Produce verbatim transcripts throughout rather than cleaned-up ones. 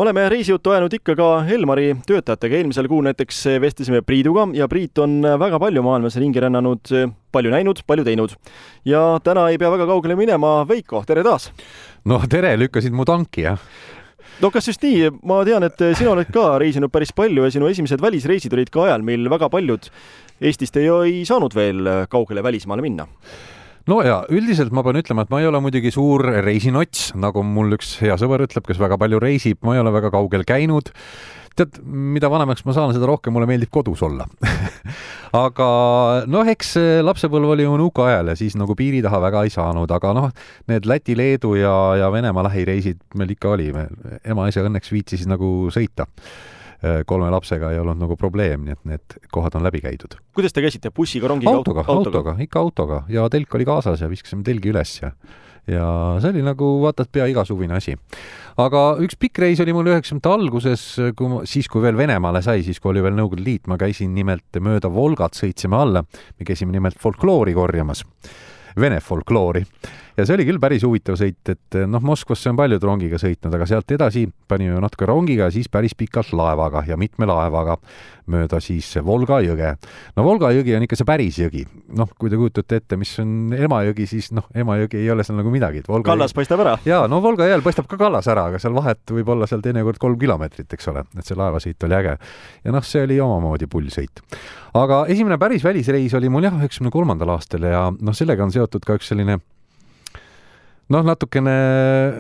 Oleme reisijuttu ajanud ikka ka Elmari töötajatega. Eelmisel kuul näiteks vestlesime Priiduga ja Priit on väga palju maailmas ringi rännanud, palju näinud, palju teinud. Ja täna ei pea väga kaugele minema. Veiko, tere taas! No tere, lükkasid mu tanki, jah? No kas just nii? Ma tean, et sina oled ka reisinud päris palju ja sinu esimesed välisreisid olid ka ajal, mil väga paljud Eestist ei, ei saanud veel kaugele välismaale minna. No ja üldiselt ma pean ütlema, et ma ei ole muidugi suur reisinots, nagu mul üks hea sõber ütleb, kes väga palju reisib, ma ei ole väga kaugel käinud. Tead, mida vanemaks ma saan, seda rohkem mulle meeldib kodus olla. Aga noh, eks lapsepõlv oli ju nuka ajal ja siis nagu piiri taha väga ei saanud, aga noh, need Läti, Leedu ja, ja Venemaa lähireisid meil ikka oli. Ema ise õnneks viitsis nagu sõita. Kolme lapsega ei olnud nagu probleem, nii et need kohad on läbi käidud. Kuidas te käisite? Bussiga, rongiga? Autoga, autoga, autoga, ikka autoga ja telk oli kaasas ja viskasime telgi üles ja, ja see oli nagu vaatad pea igasuvine asi. Aga üks pikk reis oli mul üheksakümnendate alguses, kui ma, siis kui veel Venemaale sai, siis kui oli veel Nõukogude Liit, ma käisin nimelt mööda Volgat, sõitsime alla, me käisime nimelt folkloori korjamas, Vene folkloori. Ja see oli küll päris huvitav sõit, et noh, Moskvasse on paljud rongiga sõitnud, aga sealt edasi panime natuke rongiga ja siis päris pikalt laevaga ja mitme laevaga mööda siis Volga jõge. No Volga jõgi on ikka see päris jõgi. Noh, kui te kujutate ette, mis on Emajõgi, siis noh, Emajõgi ei ole seal nagu midagi. Volga kallas jõgi... paistab ära. Jaa, no Volga jääl paistab ka kallas ära, aga seal vahet võib olla seal teinekord kolm kilomeetrit, eks ole, et see laevasõit oli äge. Ja noh, see oli omamoodi pullsõit. Aga esimene päris välisreis oli mul jah, üheksakümne kolmandal aastal ja noh, sellega on seotud ka üks selline noh, natukene,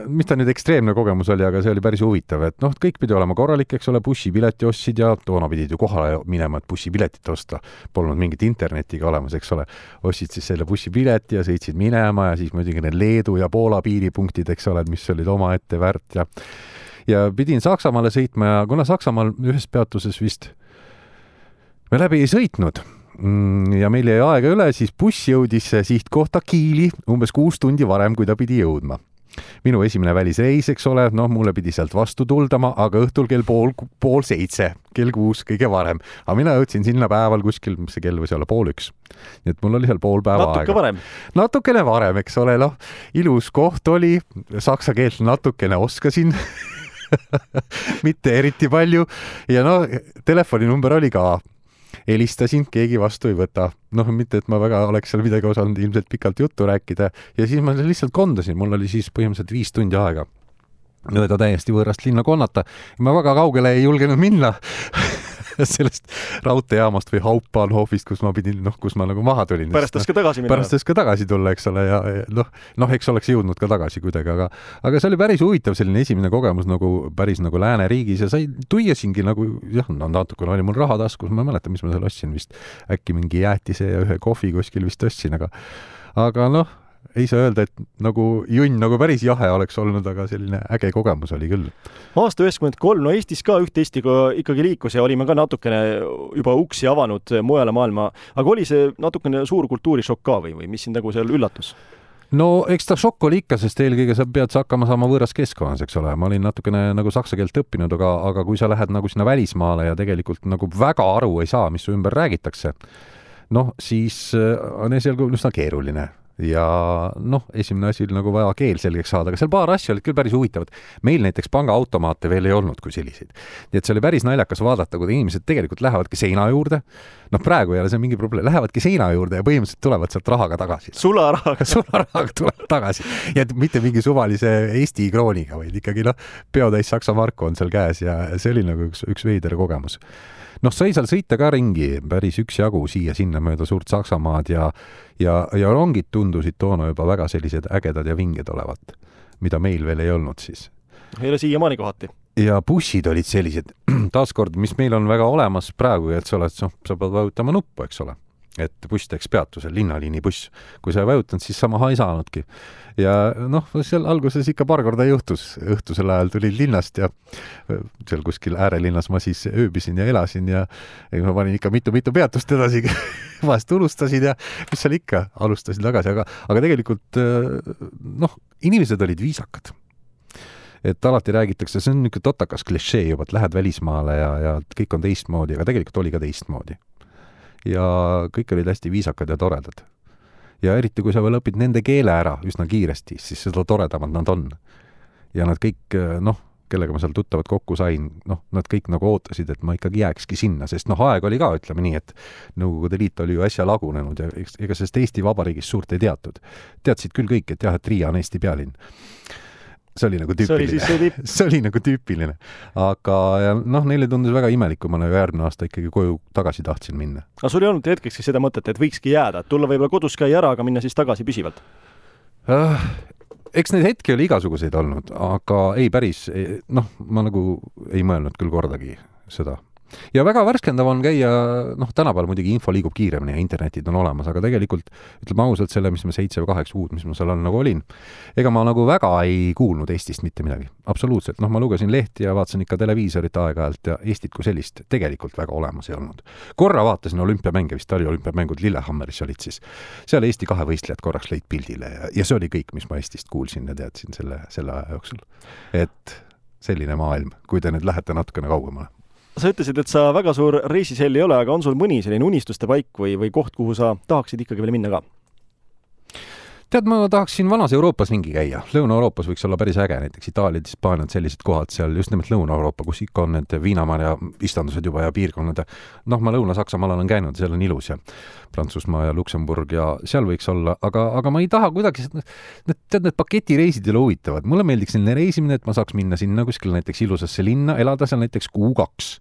mis ta nüüd ekstreemne kogemus oli, aga see oli päris huvitav, et noh, kõik pidi olema korralik, eks ole, bussipileti ostsid ja toona pidid ju kohale minema, et bussipiletit osta. Polnud mingit internetiga olemas, eks ole. Ostsid siis selle bussipileti ja sõitsid minema ja siis muidugi need Leedu ja Poola piiripunktid, eks ole, mis olid oma ette väärt ja, ja pidin Saksamaale sõitma ja kuna Saksamaal ühes peatuses vist me läbi ei sõitnud ja meil jäi aega üle, siis buss jõudis sihtkohta Kiili umbes kuus tundi varem, kui ta pidi jõudma. Minu esimene välisreis, eks ole, noh, mulle pidi sealt vastu tuldama, aga õhtul kell pool, pool seitse, kell kuus kõige varem. Aga mina jõudsin sinna päeval kuskil, mis see kell võis olla, pool üks. Nii et mul oli seal pool päeva Natuke aega. Varem. Natukene varem, eks ole, noh, ilus koht oli, saksa keelt natukene oskasin, mitte eriti palju ja no, telefoninumber oli ka. Helistasin, keegi vastu ei võta. Noh, mitte, et ma väga oleks seal midagi osanud ilmselt pikalt juttu rääkida ja siis ma lihtsalt kondasin. Mul oli siis põhimõtteliselt viis tundi aega mööda täiesti võõrast linna konnata. Ma väga kaugele ei julgenud minna sellest raudteejaamast või Hauptbahnhofist, kus ma pidin, noh, kus ma nagu maha tulin. Pärast tõska tagasi minna. Pärast tõska tagasi tulla, eks ole, ja noh, noh, eks oleks jõudnud ka tagasi kuidagi, aga, aga see oli päris huvitav selline esimene kogemus nagu päris nagu lääneriigis ja sai tuiasingi nagu, jah, no natukene oli mul raha taskus, ma ei mäleta, mis ma seal ostsin vist, äkki mingi jäätise ja ühe kohvi kuskil vist ostsin, aga, aga noh, ei saa öelda, et nagu junn nagu päris jahe oleks olnud, aga selline äge kogemus oli küll. Aasta üheksakümmend kolm, no Eestis ka üht Eestiga ikkagi liikus ja olime ka natukene juba uksi avanud mujale maailma, aga oli see natukene suur kultuurishokk ka või, või mis siin nagu seal üllatus? No eks ta šokk oli ikka, sest eelkõige sa pead hakkama saama võõras keskkonnas, eks ole. Ma olin natukene nagu saksa keelt õppinud, aga, aga kui sa lähed nagu sinna välismaale ja tegelikult nagu väga aru ei saa, mis su ümber räägitakse, noh, siis on esialgu üsna keeruline. Ja noh, esimene asi oli nagu vaja keel selgeks saada, aga seal paar asja olid küll päris huvitavad. Meil näiteks pangaautomaate veel ei olnud kui selliseid. Nii et see oli päris naljakas vaadata, kui inimesed tegelikult lähevadki seina juurde. Noh, praegu ei ole see mingi probleem. Lähevadki seina juurde ja põhimõtteliselt tulevad sealt rahaga tagasi. Sularahaga. Sularahaga tulevad tagasi. Ja mitte mingi suvalise Eesti krooniga, vaid ikkagi noh, peotäis Saksa marku on seal käes ja see oli nagu üks, üks veider kogemus. Noh, sai seal sõita ka ringi päris üks jagu siia sinna mööda suurt Saksamaad ja, ja, ja rongid tundusid toona juba väga sellised ägedad ja vinged olevat, mida meil veel ei olnud siis. Ei ole siiamaani kohati. Ja bussid olid sellised, taaskord, mis meil on väga olemas praegu, et sa oled, noh, sa pead vajutama nuppu, eks ole. Et buss teeks peatusel, linnaliini buss. Kui sa ei vajutanud, siis samaha ei saanudki. Ja noh, seal alguses ikka paar korda juhtus. Õhtusel ajal tulid linnast ja seal kuskil äärelinnas ma siis ööbisin ja elasin ja, ja ma panin ikka mitu-mitu peatust edasi. Vahest unustasin ja mis seal ikka alustasin tagasi, aga, aga tegelikult noh, inimesed olid viisakad. Et alati räägitakse, see on niisugune totakas klišee juba, et lähed välismaale ja, ja kõik on teistmoodi, aga tegelikult oli ka teistmoodi. Ja kõik olid hästi viisakad ja toredad. Ja eriti, kui sa veel õpid nende keele ära üsna kiiresti, siis seda toredamad nad on. Ja nad kõik, noh, kellega ma seal tuttavad kokku sain, noh, nad kõik nagu ootasid, et ma ikkagi jääkski sinna, sest noh, aeg oli ka, ütleme nii, et Nõukogude Liit oli ju äsja lagunenud ja ega sellest Eesti Vabariigis suurt ei teatud. Teadsid küll kõik, et jah, et Riia on Eesti pealinn. See oli nagu tüüpiline. See oli, tüüp... see oli nagu tüüpiline. Aga noh, neile tundus väga imelik, kui ma nagu järgmine aasta ikkagi koju tagasi tahtsin minna. Aga sul ei olnud hetkekski seda mõtet, et võikski jääda, et tulla võib-olla kodus käia ära, aga minna siis tagasi püsivalt? Uh, eks neid hetki oli igasuguseid olnud, aga ei päris, noh, ma nagu ei mõelnud küll kordagi seda. Ja väga värskendav on käia, noh, tänapäeval muidugi info liigub kiiremini ja internetid on olemas, aga tegelikult, ütleme ausalt selle, mis ma seitse või kaheksa kuud, mis ma seal on, nagu olin, ega ma nagu väga ei kuulnud Eestist mitte midagi. Absoluutselt. Noh, ma lugesin lehti ja vaatasin ikka televiisorit aeg-ajalt ja Eestit kui sellist tegelikult väga olemas ei olnud. Korra vaatasin olümpiamänge, vist oli olümpiamängud Lillehammeris olid siis. Seal Eesti kahe võistlejad korraks lõid pildile ja, ja see oli kõik, mis ma Eestist kuulsin ja teadsin selle, selle aja jooksul. Et selline maailm, kui te nüüd lähete natukene kaugemale. Sa ütlesid, et sa väga suur reisisell ei ole, aga on sul mõni selline unistuste paik või, või koht, kuhu sa tahaksid ikkagi veel minna ka? Tead, ma tahaksin vanas Euroopas ringi käia. Lõuna-Euroopas võiks olla päris äge, näiteks Itaaliad, Hispaaniad, sellised kohad seal, just nimelt Lõuna-Euroopa, kus ikka on need viinamarja istandused juba ja piirkonnad. Noh, ma Lõuna-Saksamaal olen käinud, seal on ilus ja Prantsusmaa ja Luksemburg ja seal võiks olla, aga, aga ma ei taha kuidagi, need, tead, need paketireisid ei ole huvitavad. Mulle meeldiks selline reisimine, et ma saaks minna sinna kuskil näiteks ilusasse linna, elada seal näiteks kuu kaks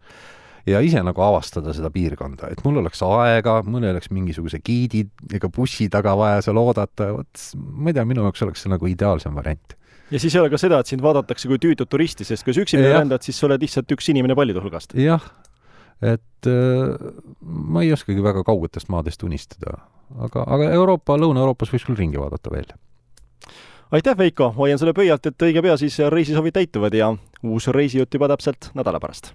ja ise nagu avastada seda piirkonda, et mul oleks aega, mul oleks mingisuguse giidi ega bussi taga vaja seal oodata, võt, ma ei tea, minu jaoks oleks see nagu ideaalsem variant. Ja siis ei ole ka seda, et sind vaadatakse kui tüütud turisti, sest kui üksinda rändad, siis sa oled lihtsalt üks inimene paljude hulgast. Jah, et äh, ma ei oskagi väga kaugetest maadest unistada, aga, aga Euroopa, Lõuna-Euroopas võiks küll ringi vaadata veel. Aitäh, Veiko, hoian sulle pöialt, et õige pea siis reisisovid täituvad ja uus reisijutt juba täpselt nädala pärast.